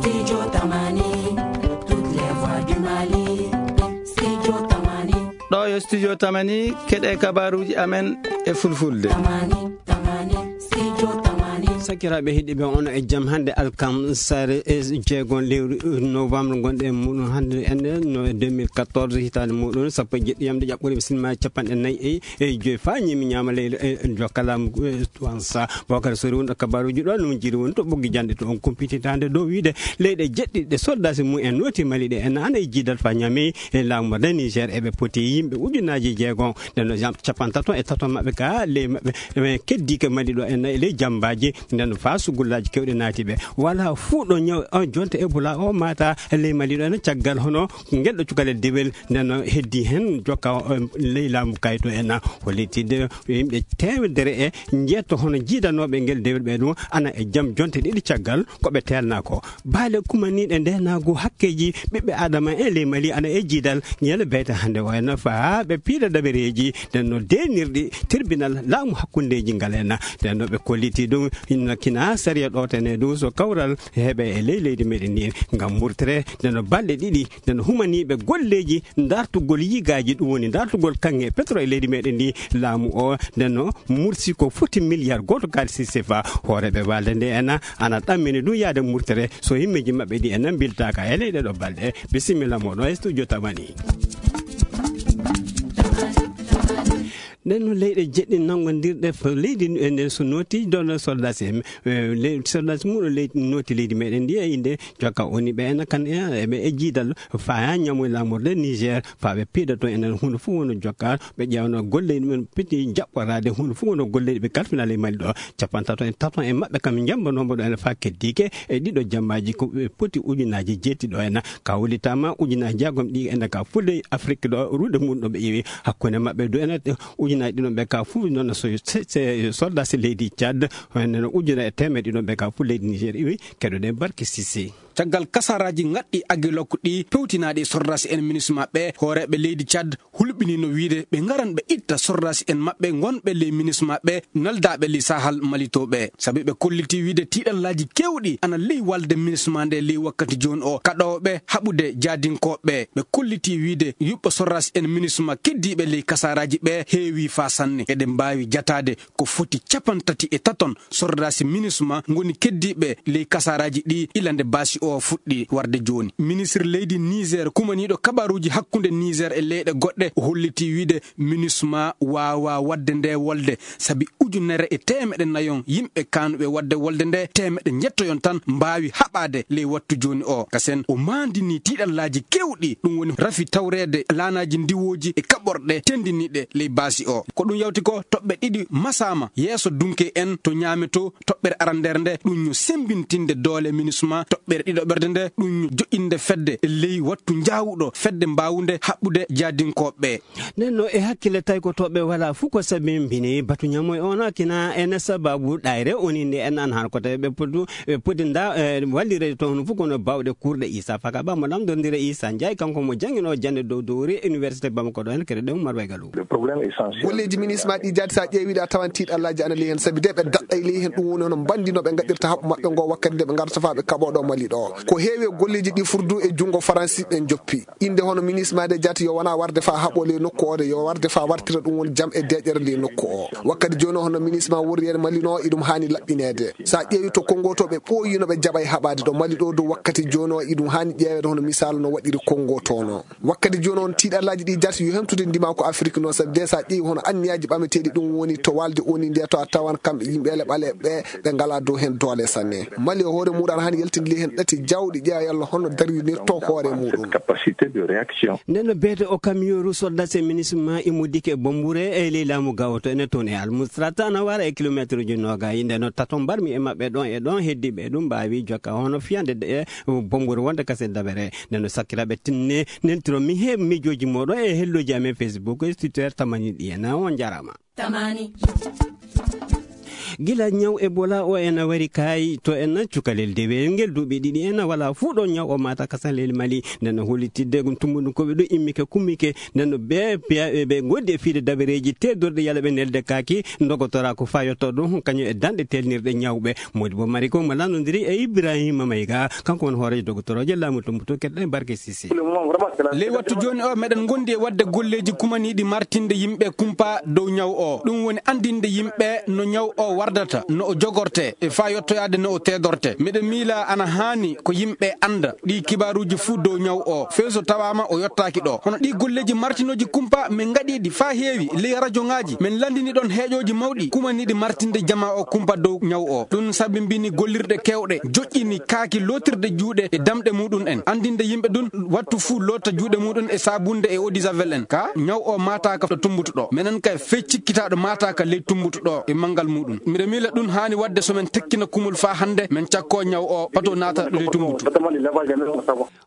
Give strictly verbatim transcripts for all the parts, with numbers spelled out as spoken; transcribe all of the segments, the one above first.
Studio Tamani, toutes les voix du Mali. Studio Tamani. Ɗo yo Studio Tamani, keɗe kabaruuji amen e fulfulde. Tamani, Tamani, Studio Tamani. Sakiraaɓe heɗiiɓe, on e jam hannde alkam sare e jeegon lewru novembre gonɗe e muɗum hannde en no deux mille quatorze hitaande muɗum sappo e jeɗɗi yamde ƴaɓɓore bisimilla capanɗe nayi e e joyi fa ñimi ñaama leydi e jokkalamu e tuwansa bokar sori wonɗo kabaruji ɗo no jiri woni to ɓoggi jande to on kumpititande dow wiide leyɗe jeɗɗiɗe soldasi mum en noti mali ɗe en ana e jiidal fa ñami e laamu de niger eɓe poti yimɓe ujunaji jeegom nde no jam capantato e tato maɓɓe ka ley maɓɓe ɓe keddike mali ɗo en e ley jambaji nde no fa sugullaji kewɗe naati ɓe wala fuu ɗo ñaw on jonta ebola o mata ley mali ɗo en caggal hono ngel ɗo cukalel dewel nde no heddi heen jokka ley laamu kayto en o lettide yimɓe teemedere e njeetto hono jiidanooɓe ngel dewel ɓe ɗum ana e jam jonte ɗiɗi caggal ko ɓe teelnaa ko baale kumaniiɗe ndeenaagu hakkeeji ɓiɓɓe adama e ley mali ana e jiidal ngel beyta hannde o en faa ɓe piila dabereeji nden no deenirɗi tribunal laamu hakkundeeji ngal en nden no ɓe kolliti ɗum hinno kina sariya ɗo tene ɗum so kawral heɓe e ley leydi meɗen ndi ngam murtere nden no balɗe ɗiɗi nden humaniiɓe golleeji dartugol yigaaji ɗum woni dartugol kaŋŋe pétrole e leydi meɗen ndi laamu o nden no mursi ko foti milliard gooto kaalisi sefa hooreɓe walde nde ena ana ɗammini ɗum yaade murtere so himmeeji maɓɓe ɗi ena mbiltaaka e leyɗe ɗo balɗe bisimilla moɗon e studio tamani nden no leyɗe jeɗɗi nanngondirɗe leydi nden so nooti dono soldasi en soldasi muɗo leydi nooti leydi meɗen ndi e inde jokka oni ɓe ena kan eɓe e jiidal faya ñamoy lamorde niger faɓe piidato enen hunde fof wono jokka ɓe ƴewno golle ɗumen piti jaɓɓorade hunde fof wono golle ɓe kalfinal e mali ɗo capantato e tato e maɓɓe kam jambanomo ɗo ene fa keddike e ɗiɗo jammaji ko ɓe poti ujunaji jetti ɗo ena ka wulitama ujunaji jagom ɗi ene ka fulde afrique ɗo ruɗe mum ɗo ɓe ƴewi hakkunde maɓɓe du ene ujunaji ɗiɗon ɓe ka fof noon so soldat si leydi tchad ene ujuna e temeɗe ɗiɗon ɓe ka fof leydi niger iwi keɗoɗen barke sisi caggal kasaraji ŋaɗɗi agilok ɗi pewtinaɗi e sordas en minisma ɓe hooreɓe leydi tchad hulɓinino wiide ɓe ngaran ɓe itta sordas en maɓɓe gonɓe ley minisma ɓe naldaɓe ley sahal malitoɓe sabi ɓe kolliti wiide tiɗallaji kewɗi ana ley walde minisma nde ley wakkati joni o kaɗoɓe haɓude jadinkoɓe ɓe kolliti wiide yuɓɓo sordas en minisma keddiɓe ley kasaraji ɓe heewi fa sanne eɗen mbawi jatade ko foti capantati e taton sordaasi minisma ngoni keddiiɓe ley kasaaraaji ɗi ila nde baasi o fuɗɗi warde jooni ministre leydi niger kumaniiɗo kabaruuji hakkunde niger e leyɗe goɗɗe o hollitii wiide minisma waawaa waɗde nde wolde sabi ujunere e teemeɗe nayon yimɓe kaanuɓe waɗde wolde nde teemeɗe njettoyon tan mbaawi haɓaade ley wattu jooni o kasen o maandinii tiiɗallaaji keewɗi ɗum woni rafi tawreede laanaaji ndiwooji e kaɓorɗe tenndiniiɗe ley baasi o ko ɗum yawti ko toɓɓe ɗiɗi masaama yeeso dunke en to ñaame to toɓɓere arandere nde ɗum ñu sembintinde doole minisma toɓɓere ɗiɗoɓerde nde ɗum ñu joƴƴinde fedde ley wattu njaawuɗo fedde mbaawunde haɓɓude jaadinkooɓe ɓe nden no e hakkille taykotooɓe wala fuu ko sabimbini batu ñamoy on kina ene sababu ɗayre oni nde en an han kote ɓe podu ɓe podi nda wallirede toon fof kono bawɗe kurɗe isa faka ba mo lamdondira isa njaay kanko mo jangino jande dow dowri université bamako ɗo hen kede ɗew marway galu golleji ministre ma ɗi jaati sa ƴeewiɗa a tawan tiiɗallaji ana ley hen saabi de ɓe daɗɗay ley hen ɗum woni hono mbandi no ɓe gaɗirta haɓɓu maɓɓe ngo wakkati nde ɓe garta fa ɓe kaɓoɗo mali ɗo ko heewi e golleji ɗi furdu e junngo faransi ɓe joppi inde hono ministre ma de jaati yo wona warde fa haɓo ley nokku o de yo warde fa wartira ɗum woni jam e deƴere ley nokku o wakkati joni hono ministre ma worri en mali no iɗum hani laɓɓinede sa ƴeewi to kongo to ɓe ɓooyi no ɓe jaɓay haɓade ɗo mali ɗo dow wakkati joni o iɗum hani ƴeewede hono misal no waɗiri kongo to no wakkati joni on tiiɗallaji ɗi jarti yo hemtude ndima ko afrique noon sabi de sa ƴeewi hono anniyaji ɓameteɗi ɗum woni to walde oni nde to a tawan kamɓe yimɓele ɓaleɓe ɓe ngala dow hen doole sanne mali e hoore muɗum aɗa hani yaltinde ley hen ɗati jawɗi ƴeewa yalla honno darinirto hoore muɗum nden no beete o kamiyoru soldase ministre ma immodike bombure e ley laamu gawoto ene toon e almustrata ana wara e kilométre uji noga yinde no tato mbarmi e maɓɓe ɗon e ɗon heddiɓe ɗum mbawi jokka hono fiyande de bombure wonde kase dabere nden no sakkiraɓe tinne nentiro mi he mijoji moɗon e helloji amen facebook e twitter tamani ɗi ena on jarama tamani Gila ñaw Ebola o ena wari kaayi to en cukalel dewel ngel duuɓi ɗiɗi ena wala fuu ɗo ñaw o mata kasan leydi Mali. Nden no hollitidde ɗum tumbuɗum ko ɓe ɗo immike kummike. Nden no ɓe piya-, ɓe ngondi e fiide dabareeji teddorɗe yala ɓe nelde kaaki ndogotora ko fayotto ɗum kañum e danɗe telnirɗe ñawɓe. Modi bo mari ko mo landondiri e Ibrahima Mayga, kanko woni hooreejo dogotoroje laamu tumbuto keɗɗen Barke Sisi. Ley wattu jooni o, meɗen ngondi e waɗde golleeji kumaniiɗi martinde yimɓe kumpa dow ñaw o. Ɗum woni anndinde yimɓe no ñaw o wardata, no o jogorte, e faa yottoyaade no o teedorte. Miɗo miila ana haani ko yimɓe annda ɗii kibaaruuji fuu dow ñaw o, fey so tawaama o yottaaki ɗo. Hono ɗii golleeji martinooji kumpa, min ngaɗii ɗi faa heewi ley rajoŋaaji. Min lanndini ɗon heeƴooji mawɗi kumaniiɗi martinde jamaa o kumpa dow ñaw o. Ɗum sabibini gollirɗe keewɗe, joƴƴini kaaki lootirde juuɗe e damɗe muɗum en. Anndinde yimɓe ɗum wattu fuu loota juuɗe muɗum e saabunde e eau de javel en. Ka ñaw o maataaka ɗo tumbutu ɗo. Menen kay fey cikkitaaɗo maataaka ley tumbutu ɗo e manngal muɗum. Miɗo miila ɗum haani waɗde so men tekkina kumol faa hannde men cakkoo ñaw o pato naata ley tumbutu.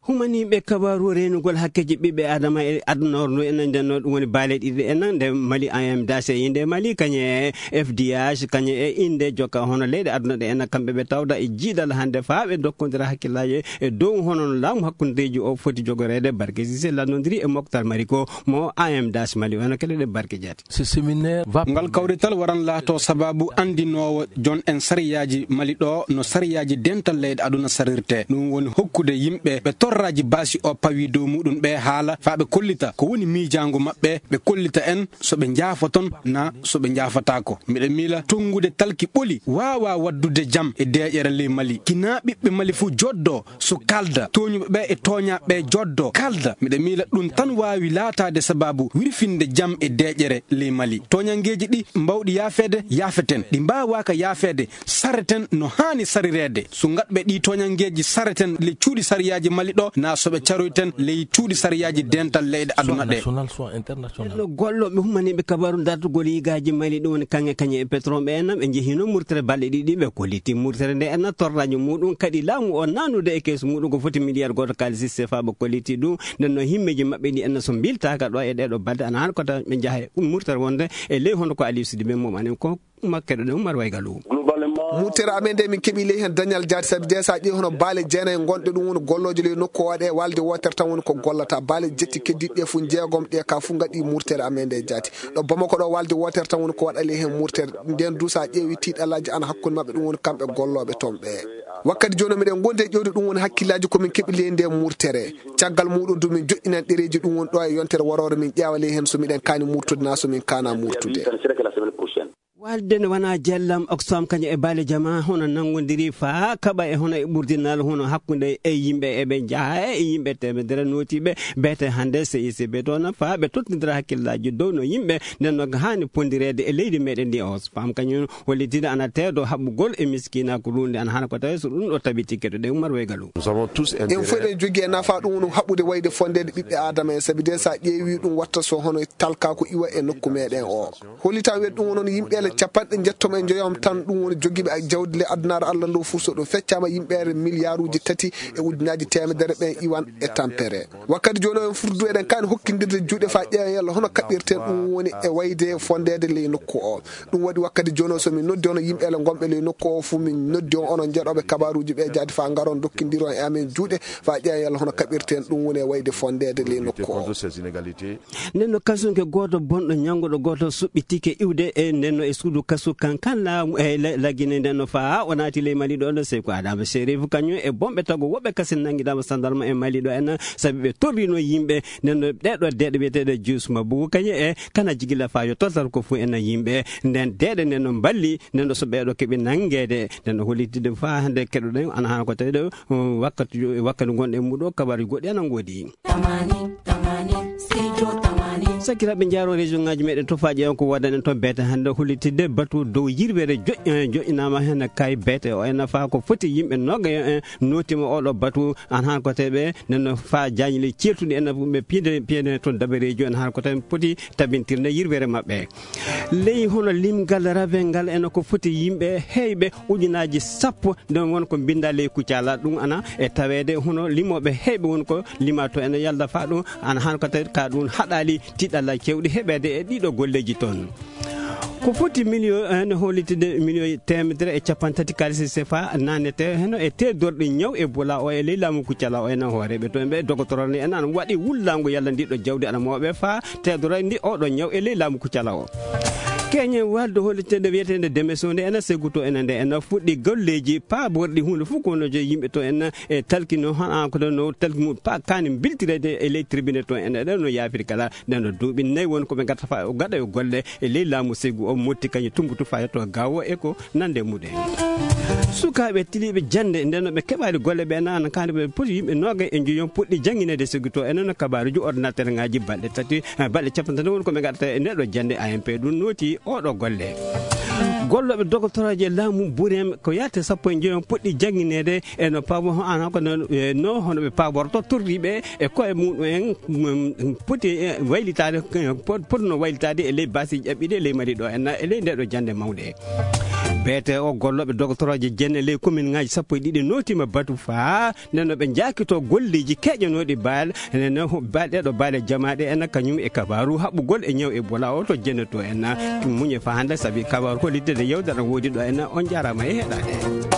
Humaniiɓe kabaaru reenugol hakkeeji ɓiɓɓe Aadama e aduna o ndu enen nden no ɗum woni baale ɗiɗi enen nde Mali A M D A C e innde Mali kañe e F D H kañe e innde jokka hono leyɗe aduna ɗe enen kamɓe ɓe tawda e jiidal hannde faa ɓe dokkondira hakkillaaji e dow hono no laamu hakkundeeji o foti jogoreede. Barke Sise lannondiri e Moktar Mariko mo A M D A C Mali wano kele ɗe Barke Jaati. Ce séminaire va Ngal kawrital waran laato sababu anndinoowo jon en sariyaaji Mali ɗo no sariyaaji dental leyɗe aduna sarirte. Ɗum woni hokkude yimɓe ɓe torraaji baasi o pawi dow muɗum ɓe haala faa ɓe kollita ko woni miijaango maɓɓe, ɓe kollita en so ɓe njaafoton na so ɓe njaafataako. Miɗo miila tonngude talki ɓoli waawa waddude jam e deeƴere ley Mali. Kinaa ɓiɓɓe Mali fuu joddo so kalda, tooñuɓe ɓe e tooñaaɓe ɓe joddo kalda. Miɗo miila ɗum tan waawi laataade sababu wirfinde jam e deeƴere ley Mali. Tooñanngeeji ɗi mbawɗi yaafeede, yaafeten. Ɗi mbaawaaka yaafeede, sareten no haani sarireede. So ngaɗɓe ɗi tooñanngeeji sareten ley cuuɗi sariyaaji Mali ɗo, na so ɓe caroyten ley cuuɗi sariyaaji dental leyɗe aduna ɗe. Ɗo gollooɓe humaniiɓe kabaru dartugol yigaaji Mali ɗum woni kaŋŋe kañe e pétrole ɓe en, ɓe njehino murtere balɗe ɗiɗi, ɓe kolliti murtere nde en torraji muɗum kadi laamu o nanude e keesu muɗum ko foti miliyar gooto kaalisi sefa ɓe kolliti ɗum. Nden no himmeji maɓɓe ɗi en so mbiltaaka ɗo e ɗeɗo balɗe ana han kota ɓe njaha e murtere wonde e ley hono ko Aliou Sidibé mum anen ko makkeɗo ɗe Umar Waygalu. Murtere amen nde min keɓi ley hen dañal jaati sabi de sa ƴeewi hono baale jeenayi gonɗe ɗum woni gollooje ley nokku o waɗe walde wootere tan woni ko gollata. Baale jetti keddiɗe ɗe fof jeegom ɗe ka fof ngaɗi murtere amen nde jaati. Ɗo Bamako ɗo walde wootere tan woni ko waɗa ley hen murtere. Nden du sa ƴeewi tiiɗalaaji ana hakkunde maɓɓe ɗum woni kamɓe gollooɓe toon ɓe. Wakkati jooni miɗen gondi e ƴeewde ɗum woni hakkillaaji ko min keɓi ley nde murtere. Caggal muɗum du min joɗɗinan ɗereeji ɗum woni ɗo e yontere waroore min ƴeewa ley hen so miɗen kaani murtude na so min kaana murtude. Walde ne wona jellam Oxfam kañum e baale jama hono nanngodiri faa kaɓa e hono e ɓurdinal hono hakkunde e yimɓe eɓe njaha e yimɓe temedere nootiiɓe beete hannde C I C B toon faa ɓe tottindira hakkillaaji dow no yimɓe nden no haani pondireede e leydi meɗen ndi. Oxfam kañum hollitinde ana teedo haɓɓugol e miskinaaku runde ana hana ko tawi so ɗum ɗo tabiti keɗoɗen Umar Waygalu. En fof eɗen jogii e nafa ɗum woni haɓɓude wayde fondeede ɓiɓɓe Aadama en sabi de sa ƴeewi ɗum watta so hono talkaaku iwa e nokku meɗen o. Hollita wiyde ɗum woni yimɓe ele capanɗe njettom e njoyom tan ɗum woni jogiiɓe jawdi le addunaare Allah ndu fof so ɗum feccama yimɓe ele miliyaaruuji tati e ujunaaji teemedere ɓen iwan e tampere. Wakkati jooni o en furdu eɗen kaani hokkindirde juuɗe faa ƴeewen yalla hono kaɓɓirten ɗum woni e wayde fondeede ley nokku o. Ɗum waɗi wakkati jooni o so min noddi hono yimɓe ele gonɓe ley nokku o fof min noddi on onon jeeɗooɓe kabaaruuji ɓe jaati faa ngaron dokkindiron e amen juuɗe faa ƴeewen yalla hono kaɓɓirten ɗum woni e wayde fondeede ley nokku o. Nden no kasunke gooto bonɗo ñannguɗo gooto suɓɓitike iwde e nden no e suudu kasu kankan laamu e la-, Lagine nden no faa o naati ley Mali ɗo no Seyku Adama Serif kañum e bonɓe tago woɓɓe kasin nanngidaama sandarma e Mali ɗo en sabi ɓe torrino yimɓe nden no ɗeɗo deeɗe wiyeteeɗe Jus Mabu kañum e kana jigila faa yo toltal ko fof en yimɓe nden deeɗe nden no mballi nden no so ɓeɗo keɓi nanngeede nden no hollitide faa hannde keɗoɗen ana hana ko tawi ɗo wakkati jo-, wakkati gonɗen muɗo kabaruji goɗɗi ana ngoodi. Tamani, tamani, studio tamani. Sakiraaɓe, njaaro région ngaji meɗen to faaƴe on ko waɗanen to beete hannde hollitidde batu dow yirwere joƴƴ-, eh, joƴƴinaama heen kay beete o en faa ko foti yimɓe noga en nootima oɗo batu an han ko teɓe nen faa jañli ceertuɗi en ɓe piide piide toon dabareejo en han ko tan poti tabintirde yirwere maɓɓe. Ley hono limgal rabe ngal ene ko foti yimɓe heyɓe ujunaaji sappo, nden won ko mbinndaa ley kuccala. Ɗum ana e taweede hono limooɓe heyɓe won ko limaa to ene yalda faa ɗum, ana han ko tawi ka ɗum haɗaali tiɗalla cewɗi heɓeede e ɗiɗo golleeji toon. Ko foti miliyo en hollitde miliyo teemedere e capanɗe tati kaalisi sefa nanete heno e teddorɗe ñaw e bola o e ley laamu kuccala o ena hooreɓe to ɓe dogotoro ne ena waɗi wullango yalla ndiɗo jawdi ana mawɓe fa teddoro ndi oɗo ñaw e ley laamu kuccala o. Keñe wadde hollitde wiyetende demeso nde ena seguto ena nde ena fuɗɗi golleji paborɗi hunde fof kono je yimɓe to ena e talkino hana ko no talki mum pa kani biltirede e ley tribune to ena ɗen no yafiri kala. Nden no duuɓi nayi woni ko ɓe gatta fa gaɗa yo golle e ley laamu segu o motti kañum tumbutu fa yetto gawo e ko nande muɗen. Sukaaɓe tiliiɓe jannde nden no ɓe keɓaali golle ɓe nana kande ɓe poti yimɓe noga e njoyon puɗɗi jannginede segu to enen kabaruji ordinateur ngaji balɗe tati balɗe capanɗe tati woni ko ɓe gaɗata e ndeɗo jannde amp ɗum nooti oɗo golle. Golloɓe dogotoroje laamu burem ko yahte sappo e njoyon puɗɗi jannginede e no pabo ana ko no e no hono ɓe paborto torriɓe e koye muɗum en mm, poti e waylitade eh, pot- potno waylitade e ley basi ƴaɓɓiɗe e ley mari ɗo enna e ley ndeɗo jande mawɗe. Beete o golloɓe dogotoroje jenne ley commune ngaji sappo e ɗiɗi notima batu fa neno ɓe jakito golleji keƴanoɗi baal neno baal ɗeɗo baale jamaɗe enna kañum e kabaru haɓɓugol e ñaw e bola o to jenne to enna muñe fa hande saabi kabaru hollitde yewtere woodi ɗo enna on jarama e heɗade.